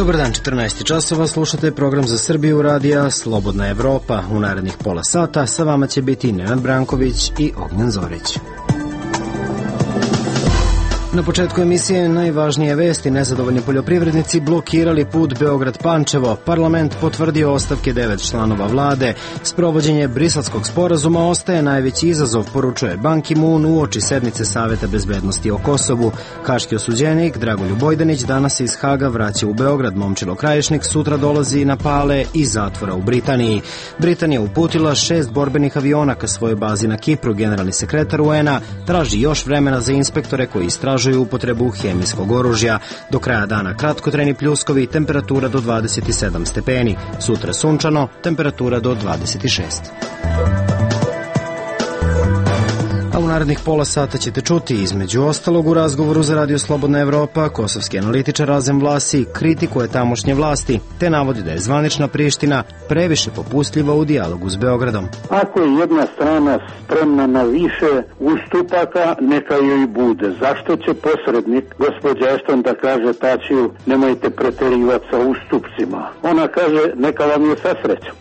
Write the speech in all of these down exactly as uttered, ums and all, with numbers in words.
Dobar dan, četrnaest časova, slušate program za Srbiju radija Slobodna Evropa. U narednih pola sata sa vama će biti Nenad Branković i Ognjen Zorić. Na početku emisije najvažnije vesti: nezadovoljni poljoprivrednici blokirali put Beograd-Pančevo, parlament potvrdio ostavke devet članova vlade, sprovođenje Briselskog sporazuma ostaje najveći izazov, poručuje Ban Ki-moon uoči sednice Saveta bezbednosti o Kosovu. Haški osuđenik Dragoljub Bojdanić danas se iz Haga vraća u Beograd. Momčilo Krajišnik sutra dolazi na Pale iz zatvora u Britaniji. Britanija uputila šest borbenih aviona ka svojoj bazi na Kipru. Generalni sekretar U N-a traži još vremena za inspektore koji istražuju upotrebu hemijskog oružja. Do kraja dana kratkotrajni pljuskovi, temperatura do dvadeset sedam stepeni. Sutra sunčano, temperatura do dvadeset šest. A u narednih pola sata ćete čuti, između ostalog, u razgovoru za Radio Slobodna Evropa, kosovski analitičar Razem Vlasi kritikuje tamošnje vlasti, te navodi da je zvanična Priština previše popustljiva u dijalogu s Beogradom. Ako je jedna strana spremna na više ustupaka, neka joj bude. Zašto će posrednik, gospođa Ešton, da kaže Tačiju, nemojte preterivati sa ustupcima? Ona kaže, neka vam je sa srećom.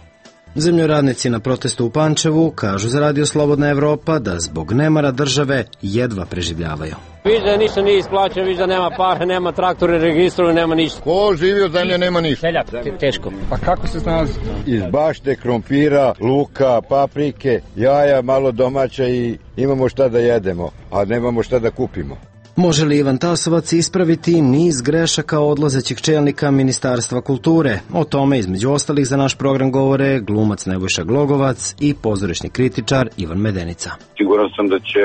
Zemljoradnici na protestu u Pančevu kažu za Radio Slobodna Evropa da zbog nemara države jedva preživljavaju. Viš da ništa nije isplaćeno, viš da nema pare, nema traktore, registru, nema ništa. Ko živi od zemlje nema ništa. Seljak, teško. Pa kako se snalazi? Iz bašte, krompira, luka, paprike, jaja, malo domaća i imamo šta da jedemo, a nemamo šta da kupimo. Može li Ivan Tasovac ispraviti niz grešaka odlazećih čelnika Ministarstva kulture? O tome, između ostalih, za naš program govore glumac Nebojša Glogovac i pozorišni kritičar Ivan Medenica. Siguran sam da će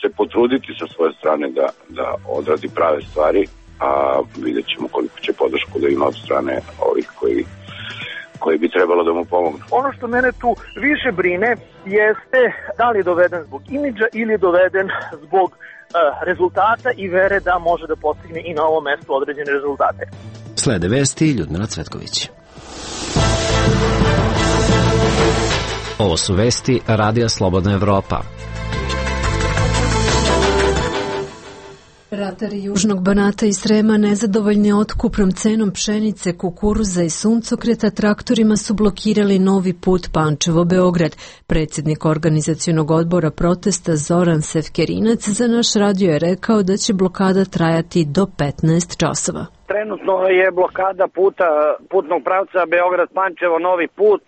se potruditi sa svoje strane da, da odradi prave stvari, a vidjet ćemo koliko će podršku da ima od strane ovih koji koji bi trebalo da mu pomognu. Ono što mene tu više brine jeste da li je doveden zbog imidža ili je doveden zbog rezultata i vere da može da postigne i na ovom mestu određene rezultate. Slede vesti Ljudmila Cvetković. Ovo su vesti Radija Slobodna Evropa. Ratari Južnog Banata i Srema nezadovoljni otkupnom cenom pšenice, kukuruza i suncokreta traktorima su blokirali novi put Pančevo-Beograd. Predsjednik organizacionog odbora protesta Zoran Sefkerinac za naš radio je rekao da će blokada trajati do petnaest časova. Trenutno je blokada puta, putnog pravca Beograd-Pančevo, novi put,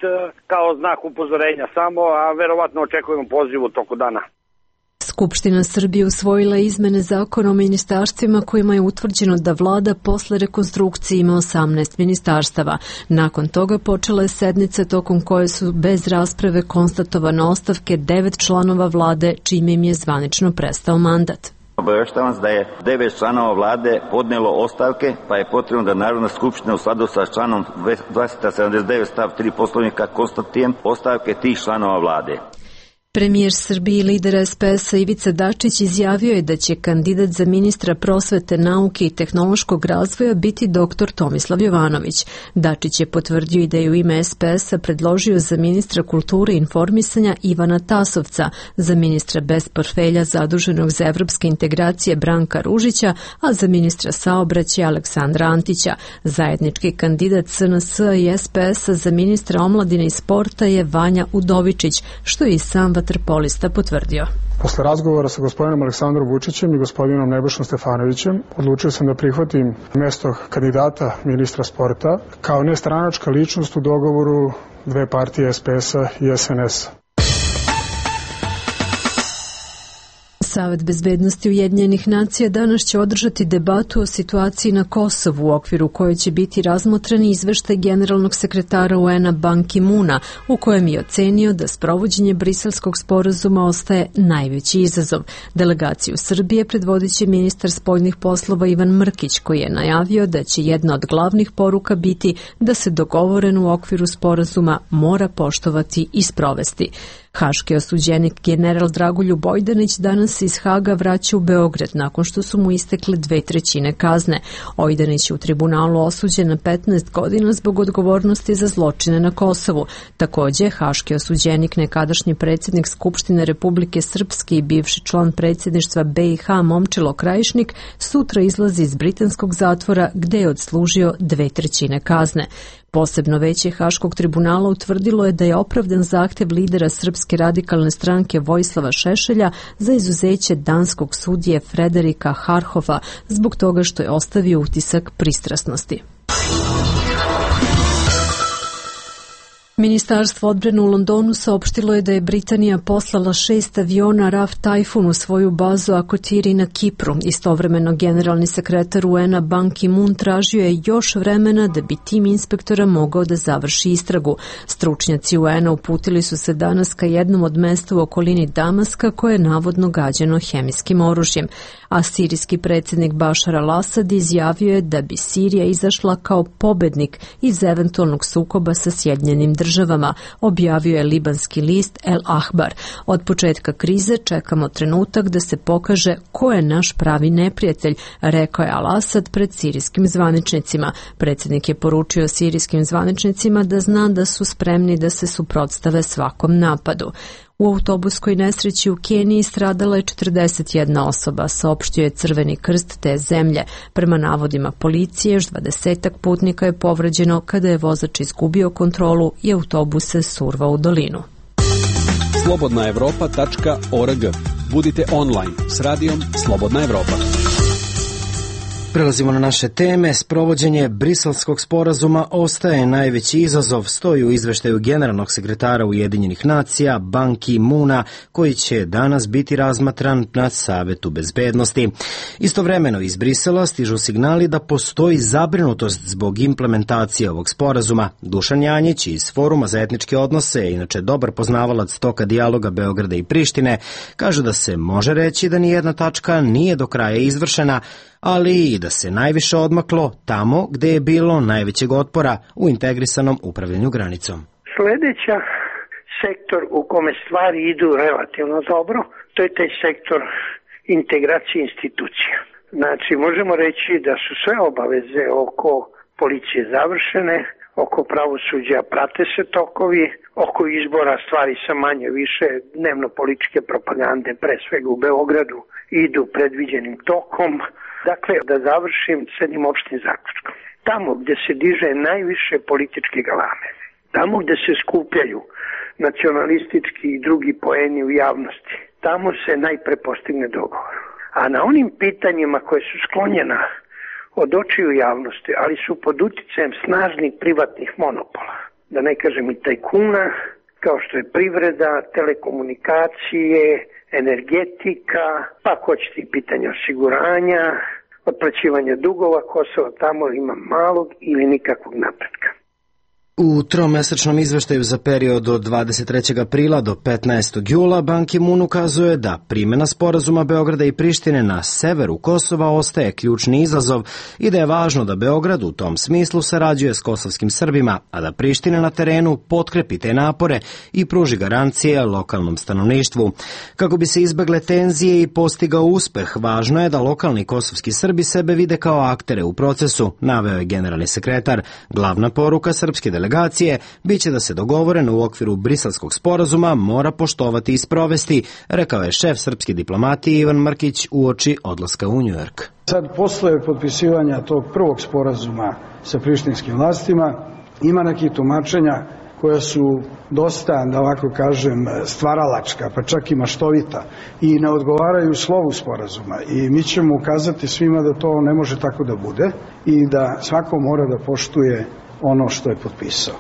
kao znak upozorenja samo, a verovatno očekujemo poziv u toku dana. Skupština Srbije usvojila izmene zakona o ministarstvima kojima je utvrđeno da vlada posle rekonstrukcije ima osamnaest ministarstava. Nakon toga počela je sednica tokom koje su bez rasprave konstatovane ostavke devet članova vlade, čime im je zvanično prestao mandat. Obaveštavam vas da je devet članova vlade podnelo ostavke, pa je potrebno da Narodna skupština u skladu sa članom dvesta sedamdeset devet stav tri Poslovnika konstatuje ostavke tih članova vlade. Premijer Srbije i lider S P S-a Ivica Dačić izjavio je da će kandidat za ministra prosvete, nauke i tehnološkog razvoja biti doktor Tomislav Jovanović. Dačić je potvrdio i da je u ime S P S-a predložio za ministra kulture i informisanja Ivana Tasovca, za ministra bez portfelja zaduženog za evropske integracije Branka Ružića, a za ministra saobraćaja Aleksandra Antića. Zajednički kandidat S N S-a i S P S-a za ministra omladine i sporta je Vanja Udovičić, što je i sam vaterpolista potvrdio. Posle razgovora sa gospodinom Aleksandrom Vučićem i gospodinom Nebojšom Stefanovićem odlučio sam da prihvatim mesto kandidata ministra sporta kao nestranačka ličnost u dogovoru dve partije S P S-a i S N S-a. Savet bezbednosti Ujedinjenih nacija danas će održati debatu o situaciji na Kosovu, u okviru koje će biti razmotreni izveštaj generalnog sekretara U N-a Ban Ki-moona, u kojem je ocenio da sprovođenje Briselskog sporazuma ostaje najveći izazov. Delegaciju Srbije predvodit će ministar spoljnih poslova Ivan Mrkić, koji je najavio da će jedna od glavnih poruka biti da se dogovoreno u okviru sporazuma mora poštovati i sprovesti. Haški osuđenik general Dragoljub Ojdanić danas se iz Haga vraća u Beograd nakon što su mu istekle dve trećine kazne. Ojdanić je u tribunalu osuđen na petnaest godina zbog odgovornosti za zločine na Kosovu. Takođe, haški osuđenik, nekadašnji predsjednik Skupštine Republike Srpske i bivši član predsjedništva B i H Momčilo Krajišnik sutra izlazi iz britanskog zatvora gde je odslužio dve trećine kazne. Posebno veće Haškog tribunala utvrdilo je da je opravdan zahtev lidera Srpske radikalne stranke Vojislava Šešelja za izuzeće danskog sudije Frederika Harhofa zbog toga što je ostavio utisak pristrasnosti. Ministarstvo odbrane u Londonu saopštilo je da je Britanija poslala šest aviona R A F Tajfun u svoju bazu Akotiri na Kipru. Istovremeno generalni sekretar U N-a Ban Ki-moon tražio je još vremena da bi tim inspektora mogao da završi istragu. Stručnjaci U N-a uputili su se danas ka jednom od mesta u okolini Damaska koje je navodno gađano hemijskim oružjem. A sirijski predsjednik Bašar al-Asad izjavio je da bi Sirija izašla kao pobednik iz eventualnog sukoba sa Sjedinjenim državama, objavio je libanski list El Ahbar. Od početka krize čekamo trenutak da se pokaže ko je naš pravi neprijatelj, rekao je al-Asad pred sirijskim zvaničnicima. Predsjednik je poručio sirijskim zvaničnicima da zna da su spremni da se suprotstave svakom napadu. U autobuskoj nesreći u Keniji stradala je četrdeset jedna osoba, saopštio je Crveni krst te zemlje. Prema navodima policije, još dvadesetak putnika je povređeno kada je vozač izgubio kontrolu i autobus se survao u dolinu. slobodna evropa tačka org. Budite online s radijom Slobodna Evropa. Prelazimo na naše teme. Sprovođenje Briselskog sporazuma ostaje najveći izazov, stoji u izveštaju generalnog sekretara Ujedinjenih nacija Ban Ki-moona, koji će danas biti razmatran na Savetu bezbednosti. Istovremeno iz Brisela stižu signali da postoji zabrinutost zbog implementacije ovog sporazuma. Dušan Janjić iz Foruma za etničke odnose, inače dobar poznavalac toka dijaloga Beograda i Prištine, kaže da se može reći da nijedna tačka nije do kraja izvršena, ali i da se najviše odmaklo tamo gde je bilo najvećeg otpora u integrisanom upravljanju granicom. Sledeća sektor u kome stvari idu relativno dobro, to je taj sektor integracije institucija. Znači, možemo reći da su sve obaveze oko policije završene, oko pravosuđa prate se tokovi, oko izbora stvari sa manje više dnevno političke propagande, pre svega u Beogradu, idu predviđenim tokom. Dakle, da završim s jednim opštim zaključkom. Tamo gde se diže najviše političke galame, tamo gde se skupljaju nacionalistički i drugi poeni u javnosti, tamo se najpre postigne dogovor. A na onim pitanjima koje su sklonjena od očiju javnosti, ali su pod uticajem snažnih privatnih monopola, da ne kažem i tajkuna, kao što je privreda, telekomunikacije, energetika, pa ako hoćete i pitanje osiguranja, otplaćivanja dugova, Kosovo tamo ima malog ili nikakvog napretka. U tromesečnom izveštaju za period od dvadeset trećeg aprila do petnaestog jula Ban Ki-moon ukazuje da primjena sporazuma Beograda i Prištine na severu Kosova ostaje ključni izazov i da je važno da Beograd u tom smislu sarađuje s kosovskim Srbima, a da Priština na terenu potkrepi te napore i pruži garancije lokalnom stanovništvu. Kako bi se izbegle tenzije i postigao uspeh, važno je da lokalni kosovski Srbi sebe vide kao aktere u procesu, naveo je generalni sekretar. Glavna poruka srpske delegacije delegacije biće da se dogovoreno u okviru Briselskog sporazuma mora poštovati i sprovesti, rekao je šef srpske diplomatije Ivan Mrkić uoči odlaska u Njujork. Sad, posle potpisivanja tog prvog sporazuma sa prištinskim vlastima, ima nekih tumačenja koja su dosta, da ovako kažem, stvaralačka, pa čak i maštovita i ne odgovaraju slovu sporazuma. I mi ćemo ukazati svima da to ne može tako da bude i da svako mora da poštuje ono što je potpisao.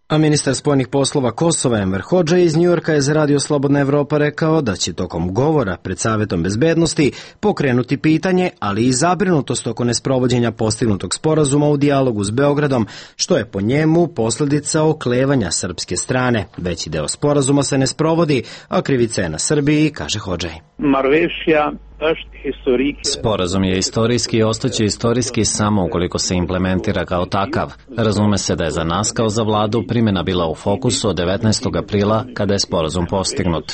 A ministar spoljnih poslova Kosova Enver Hodža iz Njujorka je za Radio Slobodna Evropa rekao da će tokom govora pred Savetom bezbednosti pokrenuti pitanje, ali i zabrinutost oko nesprovođenja postignutog sporazuma u dijalogu s Beogradom, što je po njemu posledica oklevanja srpske strane. Veći deo sporazuma se ne sprovodi, a krivica je na Srbiji, kaže Hodžaj. Marvešija Sporazum je istorijski i ostaće istorijski samo ukoliko se implementira kao takav. Razume se da je za nas kao za vladu primjena bila u fokusu od devetnaestog aprila kada je sporazum postignut.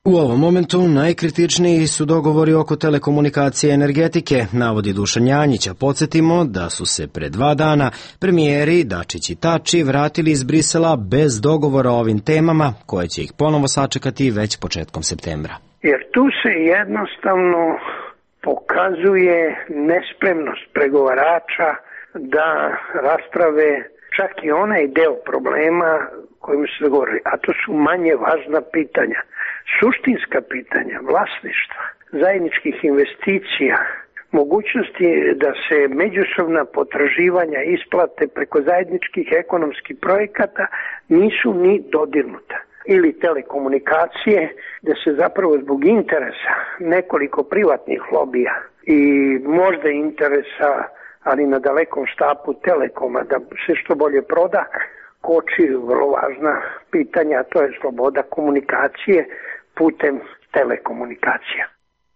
U ovom momentu najkritičniji su dogovori oko telekomunikacije i energetike, navodi Dušan Janjić, a podsjetimo da su se pre dva dana premijeri Dačić i Tači vratili iz Brisela bez dogovora o ovim temama, koje će ih ponovo sačekati već početkom septembra. Jer tu se jednostavno pokazuje nespremnost pregovarača da rasprave čak i onaj deo problema kojim se govori, a to su manje važna pitanja. Suštinska pitanja vlasništva, zajedničkih investicija, mogućnosti da se međusobna potraživanja isplate preko zajedničkih ekonomskih projekata nisu ni dodirnuta. Ili telekomunikacije, gde se zapravo zbog interesa nekoliko privatnih lobija i možda interesa, ali na dalekom štapu Telekoma, da se što bolje proda, koči vrlo važna pitanja, a to je sloboda komunikacije putem telekomunikacija.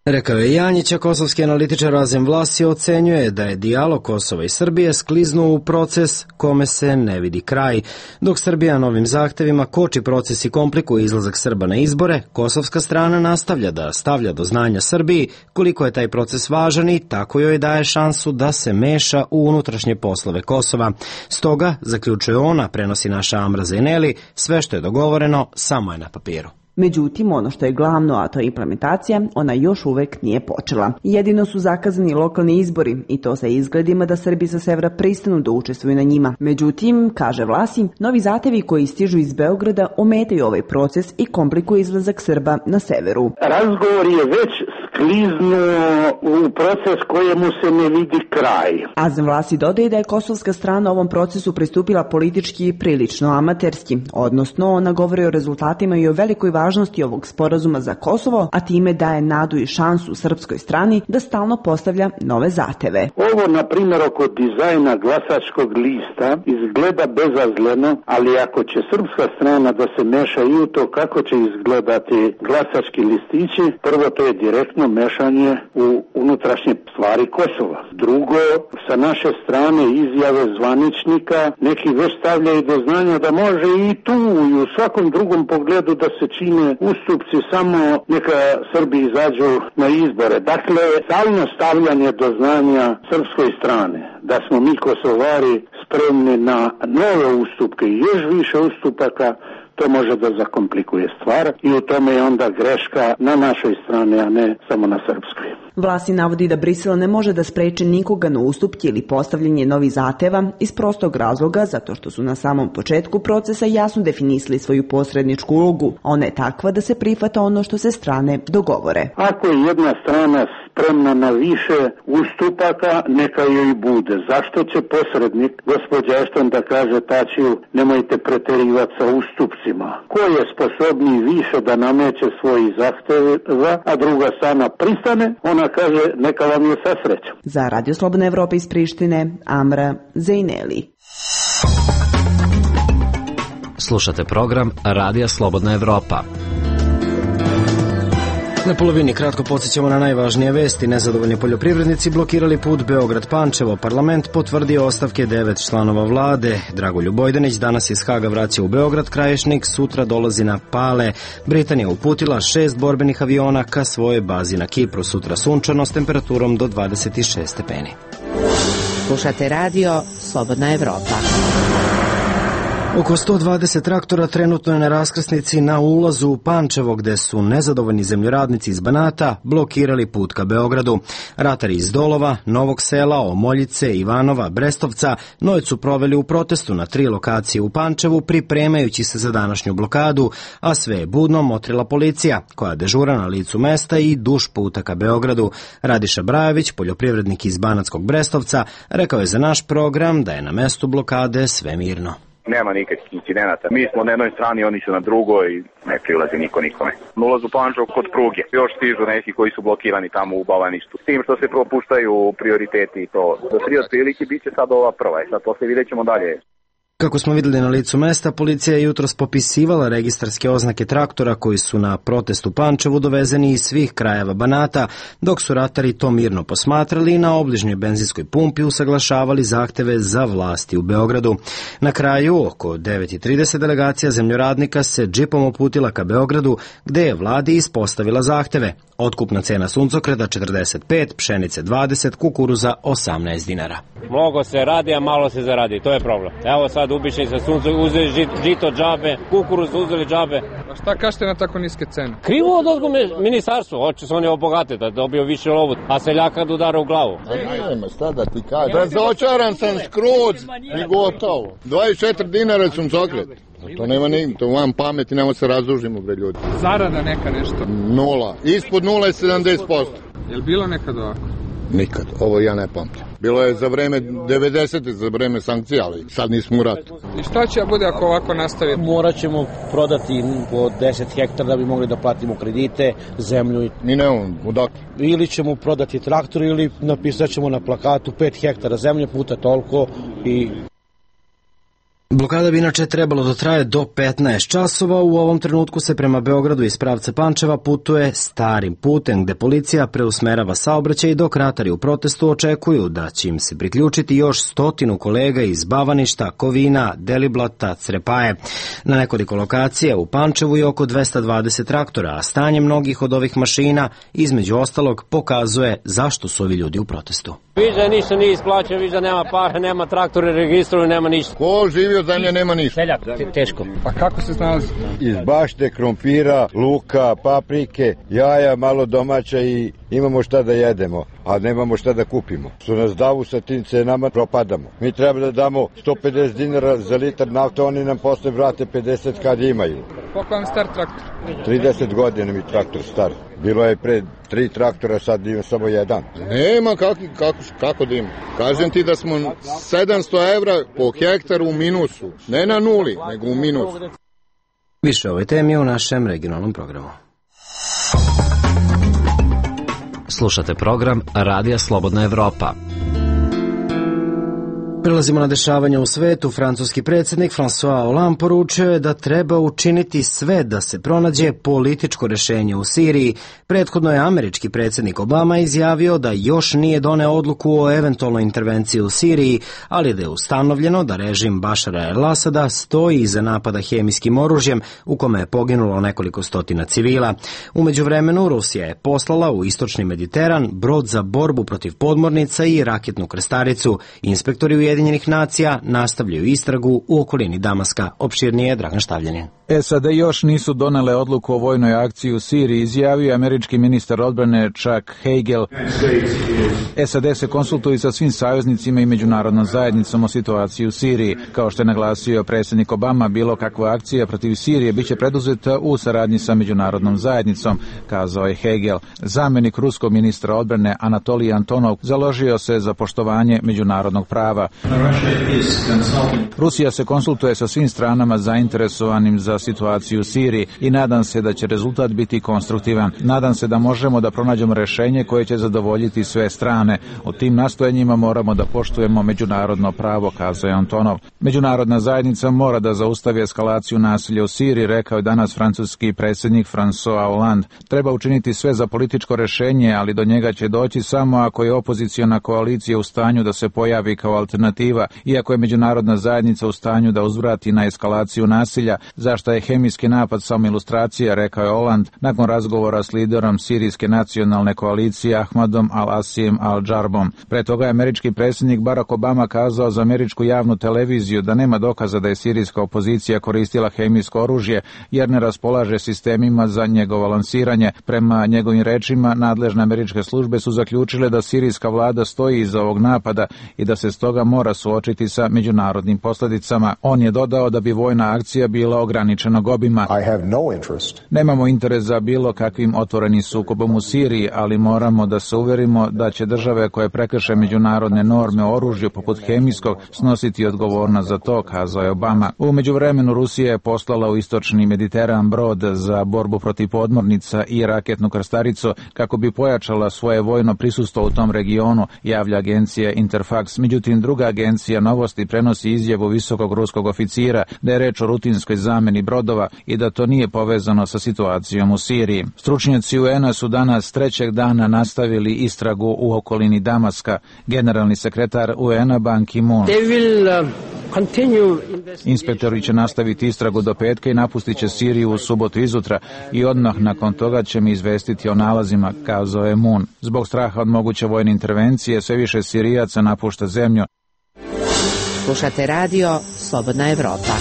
Rekao je Janjić, a kosovski analitičar Azem Vlasi ocenjuje da je dijalog Kosova i Srbije skliznuo u proces kome se ne vidi kraj. Dok Srbija novim zahtevima koči proces i komplikuje izlazak Srba na izbore, kosovska strana nastavlja da stavlja do znanja Srbiji koliko je taj proces važan i tako joj daje šansu da se meša u unutrašnje poslove Kosova. Stoga, zaključuje ona, prenosi naša Amra Zejneli, sve što je dogovoreno samo je na papiru. Međutim, ono što je glavno, a to je implementacija, ona još uvek nije počela. Jedino su zakazani lokalni izbori i to sa izgledima da Srbi sa severa pristanu da učestvuju na njima. Međutim, kaže Vlasi, novi zahtevi koji stižu iz Beograda ometaju ovaj proces i komplikuju izlazak Srba na severu. Razgovor je već skliznuo u proces kojemu se ne vidi kraj. Azem Vlasi dodaje da je kosovska strana ovom procesu pristupila politički i prilično amaterski, odnosno ona govori o rezultatima i o velikoj važnosti ovog sporazuma za Kosovo, a time daje nadu i šansu srpskoj strani da stalno postavlja nove zahteve. Ovo, na primjer, oko dizajna glasačkog lista izgleda bezazleno, ali ako će srpska strana da se meša i u to kako će izgledati glasački listići, prvo to je direktno mešanje u unutrašnje stvari Kosova. Drugo, sa naše strane izjave zvaničnika neki već stavljaju do znanja da može i tu i u svakom drugom pogledu da se čine ustupci, samo neka Srbi izađu na izbore. Dakle, stalno stavljanje do znanja srpskoj strane da smo mi Kosovari spremni na nove ustupke i još više ustupaka, to može da zakomplikuje stvar i u tome je onda greška na našoj strani, a ne samo na srpskoj. Vlasi navodi da Brisel ne može da spreči nikoga na ustupke ili postavljanje novih zahteva iz prostog razloga zato što su na samom početku procesa jasno definisali svoju posredničku ulogu. Ona je takva da se prihvata ono što se strane dogovore. Ako je jedna strana spremna na više ustupaka, neka joj bude. Zašto će posrednik, gospođa Ešton, da kaže Tačiju, nemojte preterivati sa ustupcima? Ko je sposobniji više da nameće svoji zahteva, a druga strana pristane, ona kaže neka vam je sa srećom. Za Radio Slobodna Evropa iz Prištine, Amra Zejneli. Slušate program Radija Slobodna Evropa. Na polovini kratko podsjećamo na najvažnije vesti. Nezadovoljni poljoprivrednici blokirali put Beograd-Pančevo. Parlament potvrdio ostavke devet članova vlade. Dragoljub Bojdanić danas iz Haga vraća u Beograd. Krajišnik sutra dolazi na Pale. Britanija uputila šest borbenih aviona ka svojoj bazi na Kipru. Sutra sunčano s temperaturom do dvadeset šest stepeni. Slušate radio Slobodna Evropa. Oko sto dvadeset traktora trenutno je na raskrsnici na ulazu u Pančevo, gde su nezadovoljni zemljoradnici iz Banata blokirali put ka Beogradu. Ratari iz Dolova, Novog Sela, Omoljice, Ivanova, Brestovca noć su proveli u protestu na tri lokacije u Pančevu, pripremajući se za današnju blokadu, a sve je budno motrila policija, koja dežura na licu mesta i duž puta ka Beogradu. Radiša Brajević, poljoprivrednik iz Banatskog Brestovca, rekao je za naš program da je na mestu blokade sve mirno. Nema nikakvih incidenata. Mi smo na jednoj strani, oni su na drugoj, ne prilazi niko nikome. Na ulazu Pančevo kod pruge. Još stižu neki koji su blokirani tamo u Bavaništu. S tim što se propuštaju prioriteti i to. Do tri otprilike bit će sad ova prva. I sad posle vidjet ćemo dalje. Kako smo vidjeli na licu mesta, policija je jutros popisivala registarske oznake traktora koji su na protestu u Pančevu dovezeni iz svih krajeva Banata, dok su ratari to mirno posmatrali i na obližnjoj benzinskoj pumpi usaglašavali zahteve za vlasti u Beogradu. Na kraju, oko devet i trideset delegacija zemljoradnika se džipom uputila ka Beogradu, gde je vladi ispostavila zahteve. Otkupna cena suncokreta četrdeset pet, pšenice dvadeset, kukuruza osamnaest dinara. Mnogo se radi, a malo se zaradi, to je problem. Evo sad ubišni sa sunca, uzeli žito džabe, kukuruz uzeli džabe. A šta kažete na tako niske cene? Krivo od ozgo ministarstvo, hoće se oni obogate da dobio više lovu, a seljaka da udara u glavu. Nema, šta da ti kažem. Razočaran sam skroz i gotovo. dvadeset četiri dinara suncokret. To nema ni, to vam pameti, nemo se razdužimo, bre ljudi. Zarada neka nešto? Nula. Ispod nula je sedamdeset posto. Je li bilo nekad ovako? Nikad. Ovo ja ne pamtim. Bilo je za vreme devedesete, za vreme sankcija, ali sad nismo u ratu. I šta će bude ako ovako nastavi? Morat ćemo prodati po deset hektara da bi mogli da platimo kredite, zemlju. Mi nemamo, odakle? Ili ćemo prodati traktor ili napisat ćemo na plakatu pet hektara zemlje puta toliko i... Blokada bi inače trebalo da traje do petnaest časova. U ovom trenutku se prema Beogradu iz pravca Pančeva putuje starim putem, gde policija preusmerava saobraćaj, dok ratari u protestu očekuju da će im se priključiti još stotinu kolega iz Bavaništa, Kovina, Deliblata, Crepaje. Na nekoliko lokacija u Pančevu je oko dvesta dvadeset traktora, a stanje mnogih od ovih mašina, između ostalog, pokazuje zašto su ovi ljudi u protestu. Viš da ništa nije isplaćao, viš da nema para, nema traktora, registruju, nema ništa. Ko živi od zemlje nema ništa. Seljak, teško. Pa kako se snalazi? Iz bašte, krompira, luka, paprike, jaja, malo domaća i imamo šta da jedemo, a nemamo šta da kupimo. Su nas davu sa tim cenama, propadamo. Mi treba da damo sto pedeset dinara za litar nafte, oni nam posle vrate pedeset kad imaju. Koliko vam star traktor? trideset godina mi traktor star. Bilo je pre tri traktora, sad ima samo jedan. Nema, kako, kako, kako da ima. Kažem ti da smo sedamsto evra po hektaru u minusu. Ne na nuli, nego u minusu. Više o ovoj temi u našem regionalnom programu. Slušate program Radija Slobodna Evropa. Prelazimo na dešavanja u svetu. Francuski predsjednik François Hollande poručio je da treba učiniti sve da se pronađe političko rešenje u Siriji. Prethodno je američki predsjednik Obama izjavio da još nije doneo odluku o eventualnoj intervenciji u Siriji, ali da je ustanovljeno da režim Bašara el-Asada stoji iza napada hemijskim oružjem u kome je poginulo nekoliko stotina civila. U međuvremenu Rusija je poslala u istočni Mediteran brod za borbu protiv podmornica i raketnu krstaricu. Inspektori u Ujedinjenih nacija nastavljaju istragu u okolini Damaska. Opširnije Dragan Štavljanin. S A D još nisu donele odluku o vojnoj akciji u Siriji, izjavio američki ministar odbrane Chuck Hagel. S A D se konsultuje sa svim saveznicima i međunarodnom zajednicom o situaciji u Siriji. Kao što je naglasio predsjednik Obama, bilo kakva akcija protiv Sirije biće preduzeta u saradnji sa međunarodnom zajednicom, kazao je Hagel. Zamenik ruskog ministra odbrane Anatolij Antonov založio se za poštovanje međunarodnog prava. Rusija se konsultuje sa svim stranama zainteresovanim za situaciju u Siriji i nadam se da će rezultat biti konstruktivan. Nadam se da možemo da pronađemo rešenje koje će zadovoljiti sve strane. U tim nastojanjima moramo da poštujemo međunarodno pravo, kazao je Antonov. Međunarodna zajednica mora da zaustavi eskalaciju nasilja u Siriji, rekao je danas francuski predsjednik François Hollande. Treba učiniti sve za političko rešenje, ali do njega će doći samo ako je opoziciona koalicija u stanju da se pojavi kao alternativa, iako je međunarodna zajednica u stanju da uzvrati na eskalaciju nasilja, zašto je hemijski napad samo ilustracija, rekao je Hollande nakon razgovora s liderom sirijske nacionalne koalicije Ahmadom al-Asim al-Džarbom. Pre toga je američki predsjednik Barack Obama kazao za američku javnu televiziju da nema dokaza da je sirijska opozicija koristila hemijsko oružje, jer ne raspolaže sistemima za njegovo lansiranje. Prema njegovim rečima, nadležne američke službe su zaključile da sirijska vlada stoji iza ovog napada i da se stoga mora suočiti sa međunarodnim posljedicama. On je dodao da bi vojna akcija bila ograničena ograničenog obima. Nemamo interes za bilo kakvim otvorenim sukobom u Siriji, ali moramo da se uverimo da će države koje prekrše međunarodne norme o oružju poput hemijskog snositi odgovornost za to, kazao je Obama. U međuvremenu Rusija je poslala u istočni Mediteran brod za borbu protiv podmornica i raketnu krstaricu kako bi pojačala svoje vojno prisustvo u tom regionu, javlja agencija Interfax. Međutim, druga agencija Novosti prenosi izjavu visokog ruskog oficira da je reč o rutinskoj zameni brodova i da to nije povezano sa situacijom u Siriji. Stručnjaci U N-a su danas trećeg dana nastavili istragu u okolini Damaska. Generalni sekretar U N-a Ban Ki-moon. Inspektori će nastaviti istragu do petka i napustit će Siriju u subotu izutra i odmah nakon toga će mi izvestiti o nalazima, kazao je Moon. Zbog straha od moguće vojne intervencije sve više Sirijaca napušta zemlju. Slušate radio Slobodna Evropa.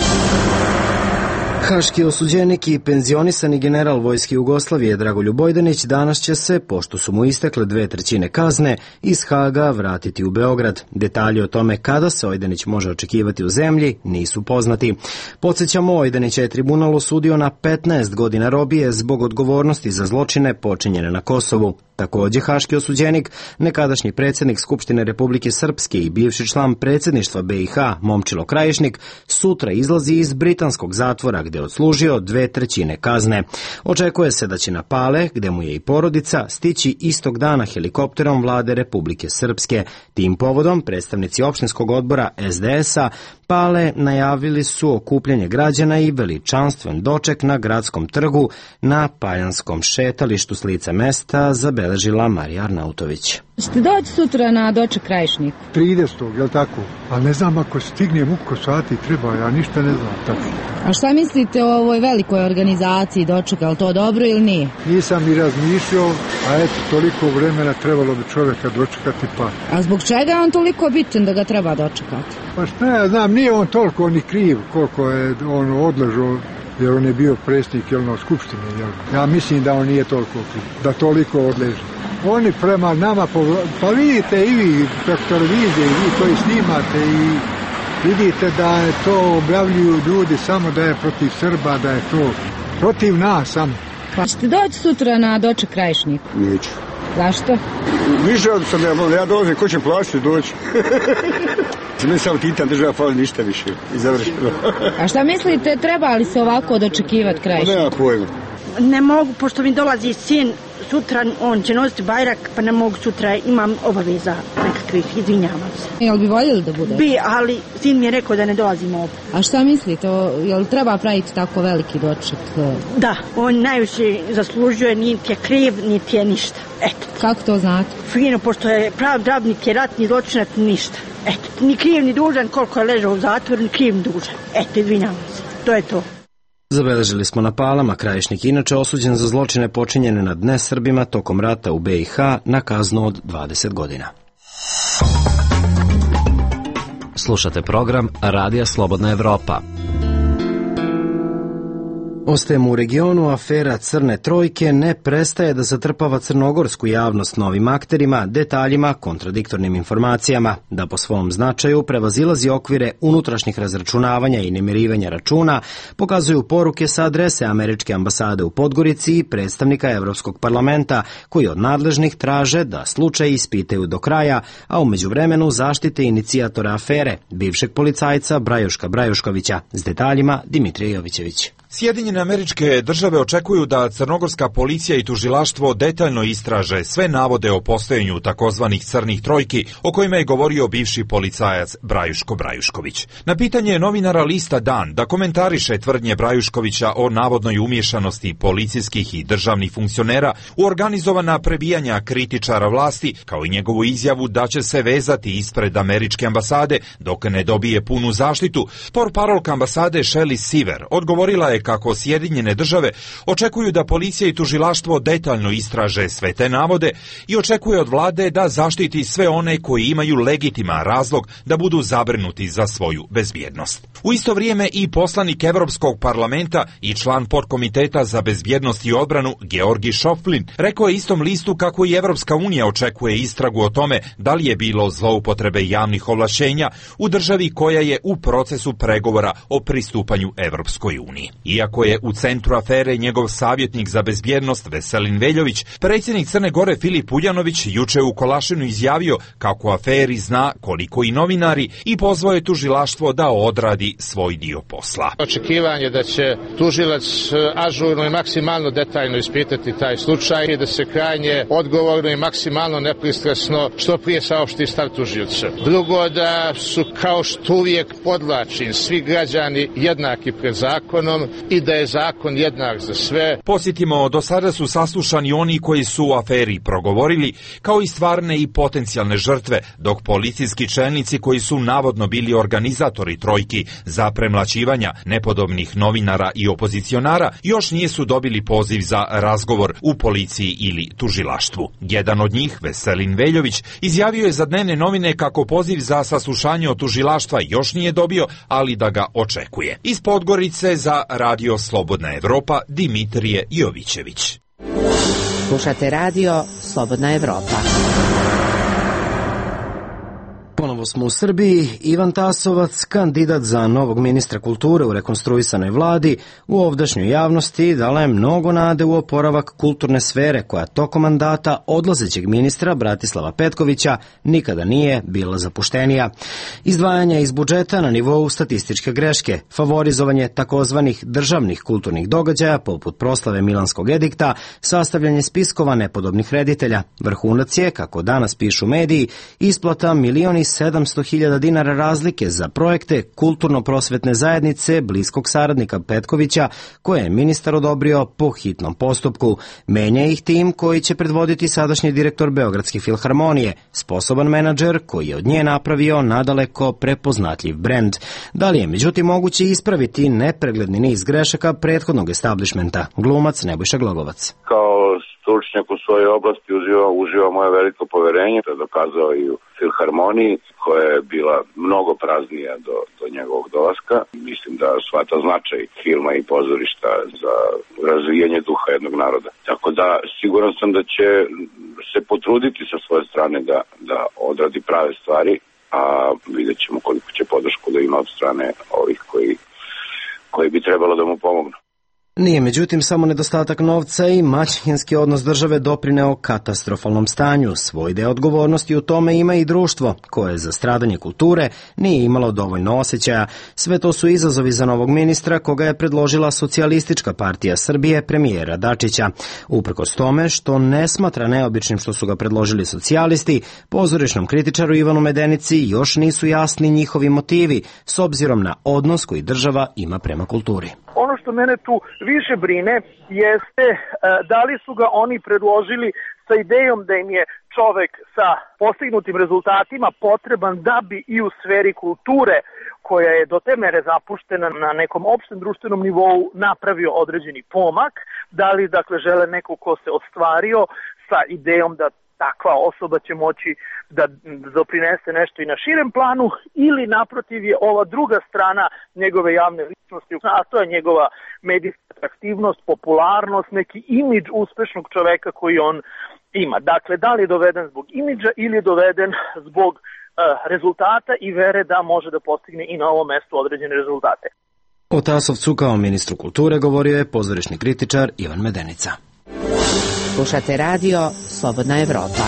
Haški osuđenik i penzionisani general Vojske Jugoslavije Dragoljub Vojdanić danas će se, pošto su mu istekle dve trećine kazne, iz Haga vratiti u Beograd. Detalji o tome kada se Vojdanić može očekivati u zemlji nisu poznati. Podsjećamo, Vojdanića je tribunal osudio na petnaest godina robije zbog odgovornosti za zločine počinjene na Kosovu. Takođe, haški osuđenik, nekadašnji predsjednik Skupštine Republike Srpske i bivši član predsjedništva B i H Momčilo Krajišnik, sutra izlazi iz britanskog zatvora gde je odslužio dve trećine kazne. Očekuje se da će na Pale, gde mu je i porodica, stići istog dana helikopterom vlade Republike Srpske. Tim povodom predstavnici opštinskog odbora S D S-a Pale najavili su okupljanje građana i veličanstven doček na gradskom trgu na Paljanskom šetalištu s lica mesta zabeležila Marija Arnautović. Ćete doći sutra na doček Krajišnik? tridesetog, je li tako? Ali ne znam ako stignem u ko sati treba, ja ništa ne znam tačno. A šta mislite o ovoj velikoj organizaciji dočeka, je li to dobro ili nije? Nisam ni razmišljao, a eto, toliko vremena trebalo bi čovjeka dočekati pa. A zbog čega je on toliko bitan da ga treba dočekati? Pa šta ja znam, nije on toliko ni kriv koliko je on odležao, jer on je bio predsjednik jelno skupštine. Jel? Ja mislim da on nije toliko kriv, da toliko odleže. Oni prema nama, pa vidite i vi preko televizije, i vi koji snimate i vidite da je to objavljuju ljudi samo da je protiv Srba, da je to protiv nas samo. Pa ćete doći sutra na doček Krajišnik? Neću. Zašto? Više od sam ja, ja dolazim, ko će plaćati doći? Ne samo titan država, fali ništa više. I završeno. A šta mislite, treba li se ovako dočekivati Krajišnik? Nema pojma. Ne mogu, pošto mi dolazi sin, sutra on će nositi bajrak, pa ne mogu sutra, imam obaveza nekakvih, izvinjavam se. Jel bi voljeli da bude? Bi, ali sin mi je rekao da ne dolazimo ovdje. A šta mislite, jel treba praviti tako veliki doček? Da, on najviše zaslužuje, niti je kriv, niti je ništa. Eto. Kako to znate? Fino, pošto je prav drabnik, je ratni zločinac, ništa. Eto, ni kriv, ni dužan, koliko je ležao u zatvoru, ni kriv, ni dužan. Eto, izvinjavam se, to je to. Zabeležili smo na Palama. Krajišnik inače osuđen za zločine počinjene nad nesrbima tokom rata u B i H na kaznu od dvadeset godina. Slušate program Radija Slobodna Evropa. Ostajemo u regionu, afera Crne trojke ne prestaje da zatrpava crnogorsku javnost novim akterima, detaljima, kontradiktornim informacijama, da po svom značaju prevazilazi okvire unutrašnjih razračunavanja i namirivanja računa, pokazuju poruke sa adrese američke ambasade u Podgorici i predstavnika Evropskog parlamenta, koji od nadležnih traže da slučaj ispitaju do kraja, a u međuvremenu zaštite inicijatora afere, bivšeg policajca Brajuška Brajuškovića. S detaljima Dimitrije Jovićević. Sjedinjene Američke Države očekuju da crnogorska policija i tužilaštvo detaljno istraže sve navode o postojanju takozvanih crnih trojki o kojima je govorio bivši policajac Brajuško Brajušković. Na pitanje novinara lista Dan da komentariše tvrdnje Brajuškovića o navodnoj umješanosti policijskih i državnih funkcionera u organizovana prebijanja kritičara vlasti, kao i njegovu izjavu da će se vezati ispred američke ambasade dok ne dobije punu zaštitu, portparolka ambasade Shelley Seaver odgovorila je kako Sjedinjene Države očekuju da policija i tužilaštvo detaljno istraže sve te navode i očekuje od vlade da zaštiti sve one koji imaju legitiman razlog da budu zabrinuti za svoju bezbjednost. U isto vrijeme i poslanik Evropskog parlamenta i član podkomiteta za bezbjednost i odbranu Georgi Šoflin rekao je istom listu kako i Evropska unija očekuje istragu o tome da li je bilo zloupotrebe javnih ovlašćenja u državi koja je u procesu pregovora o pristupanju Evropskoj uniji. Iako je u centru afere njegov savjetnik za bezbjednost Veselin Veljović, predsjednik Crne Gore Filip Uljanović juče u Kolašinu izjavio kako o aferi zna koliko i novinari i pozvao je tužilaštvo da odradi svoj dio posla. Očekivanje da će tužilac ažurno i maksimalno detaljno ispitati taj slučaj i da se krajnje odgovorno i maksimalno nepristrasno što prije saopšti stav tužioca. Drugo, da su, kao što uvijek podlačim, svi građani jednaki pred zakonom i da je zakon jednak za sve. Posjetimo, do sada su saslušani oni koji su u aferi progovorili, kao i stvarne i potencijalne žrtve, dok policijski čelnici koji su navodno bili organizatori trojki za premlaćivanja nepodobnih novinara i opozicionara još nisu dobili poziv za razgovor u policiji ili tužilaštvu. Jedan od njih, Veselin Veljović, izjavio je za dnevne novine kako poziv za saslušanje od tužilaštva još nije dobio, ali da ga očekuje. Iz Podgorice za Radio Slobodna Evropa, Dimitrije Jovićević. Slušate Radio Slobodna Evropa. Ponovo smo u Srbiji. Ivan Tasovac, kandidat za novog ministra kulture u rekonstruisanoj vladi, u ovdašnjoj javnosti dala je mnogo nade u oporavak kulturne sfere koja tokom mandata odlazećeg ministra Bratislava Petkovića nikada nije bila zapuštenija. Izdvajanja iz budžeta na nivou statističke greške, favorizovanje takozvanih državnih kulturnih događaja poput proslave Milanskog edikta, sastavljanje spiskova nepodobnih reditelja. Vrhunac je, kako danas pišu mediji, isplata milioni sedamsto hiljada dinara razlike za projekte kulturno-prosvetne zajednice bliskog saradnika Petkovića, koje je ministar odobrio po hitnom postupku. Menja ih tim koji će predvoditi sadašnji direktor Beogradske filharmonije, sposoban menadžer koji je od nje napravio nadaleko prepoznatljiv brend. Da li je međutim moguće ispraviti nepregledni niz grešaka prethodnog establishmenta? Glumac Nebojša Glogovac. Kao stručnjak u svojoj oblasti uživa, uživa moje veliko poverenje, to je dokazao i u filharmoniji, koja je bila mnogo praznija do, do njegovog dolaska. Mislim da shvata značaj filma i pozorišta za razvijanje duha jednog naroda. Tako da siguran sam da će se potruditi sa svoje strane da, da odradi prave stvari, a vidjet ćemo koliko će podršku da ima od strane ovih koji, koji bi trebalo da mu pomognu. Nije međutim samo nedostatak novca i maćehinski odnos države doprineo katastrofalnom stanju. Svoj deo odgovornosti u tome ima i društvo, koje za stradanje kulture nije imalo dovoljno osjećaja. Sve to su izazovi za novog ministra, koga je predložila Socijalistička partija Srbije premijera Dačića. Uprkos tome što ne smatra neobičnim što su ga predložili socijalisti, pozorišnom kritičaru Ivanu Medenici još nisu jasni njihovi motivi, s obzirom na odnos koji država ima prema kulturi. Ono što mene tu više brine jeste da li su ga oni predložili sa idejom da im je čovek sa postignutim rezultatima potreban da bi i u sferi kulture, koja je do te mere zapuštena na nekom opštem društvenom nivou, napravio određeni pomak, da li dakle žele neko ko se ostvario sa idejom da takva osoba će moći da doprinese nešto i na širem planu, ili naprotiv je ova druga strana njegove javne ličnosti, a to je njegova medijska atraktivnost, popularnost, neki imidž uspešnog čoveka koji on ima. Dakle, da li je doveden zbog imidža ili je doveden zbog uh, rezultata i vere da može da postigne i na ovom mestu određene rezultate. O Tasovcu kao ministru kulture govorio je pozorišni kritičar Ivan Medenica. Slušate Radio Slobodna Evropa.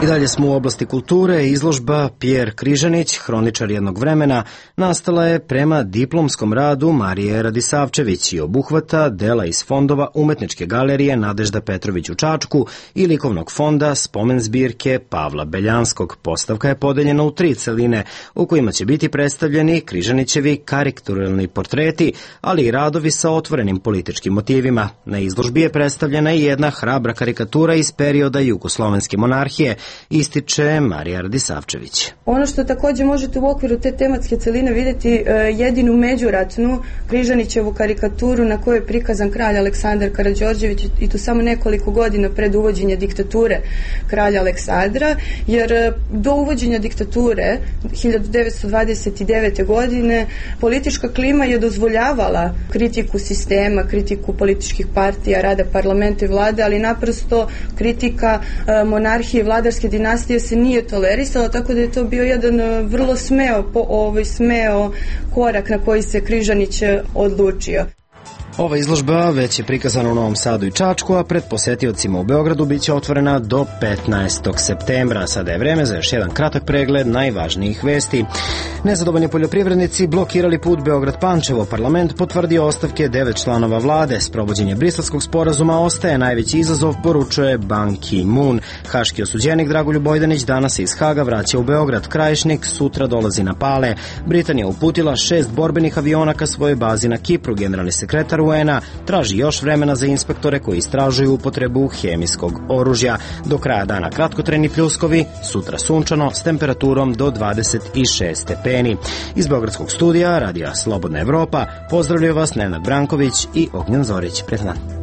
I dalje smo u oblasti kulture. Izložba Pjer Križanić, hroničar jednog vremena, nastala je prema diplomskom radu Marije Radisavčević i obuhvata dela iz fondova Umetničke galerije Nadežda Petrović u Čačku i likovnog fonda Spomen zbirke Pavla Beljanskog. Postavka je podeljena u tri celine u kojima će biti predstavljeni Križanićevi karikaturalni portreti, ali i radovi sa otvorenim političkim motivima. Na izložbi je predstavljena i jedna hrabra karikatura iz perioda jugoslovenske monarhije, ističe Marija Radisavčević. Ono što također možete u okviru te tematske celine vidjeti jedinu međuratnu Križanićevu karikaturu na kojoj je prikazan kralj Aleksandar Karađorđević, i to samo nekoliko godina pred uvođenje diktature kralja Aleksandra, jer do uvođenja diktature hiljadu devetsto dvadeset devete. godine politička klima je dozvoljavala kritiku sistema, kritiku političkih partija, rada parlamenta i vlade, ali naprosto kritika monarhije i vladarske carske dinastije se nije tolerisalo, tako da je to bio jedan vrlo smeo, po, ovaj, smeo korak na koji se Križanić odlučio. Ova izložba već je prikazana u Novom Sadu i Čačku, a pred posetiocima u Beogradu biće otvorena do petnaestog septembra. Sada je vreme za još jedan kratak pregled najvažnijih vesti. Nezadovoljni poljoprivrednici blokirali put Beograd-Pančevo. Parlament potvrdio ostavke devet članova vlade. Sprovođenje Briselskog sporazuma ostaje najveći izazov, poručuje Ban Ki-moon. Haški osuđenik Dragoljub Bojdanić danas se iz Haga vraća u Beograd. Krajišnik sutra dolazi na Pale. Britanija uputila šest borbenih aviona ka svojoj bazi na Kipru. Generalni sekretar U N-a traži još vremena za inspektore koji istražuju upotrebu hemijskog oružja. Do kraja dana kratkotrajni pljuskovi, sutra sunčano s temperaturom do dvadeset šest stepeni. Iz Beogradskog studija Radija Slobodna Evropa pozdravljaju vas Nenad Branković i Ognjen Zorić. Prijatan dan.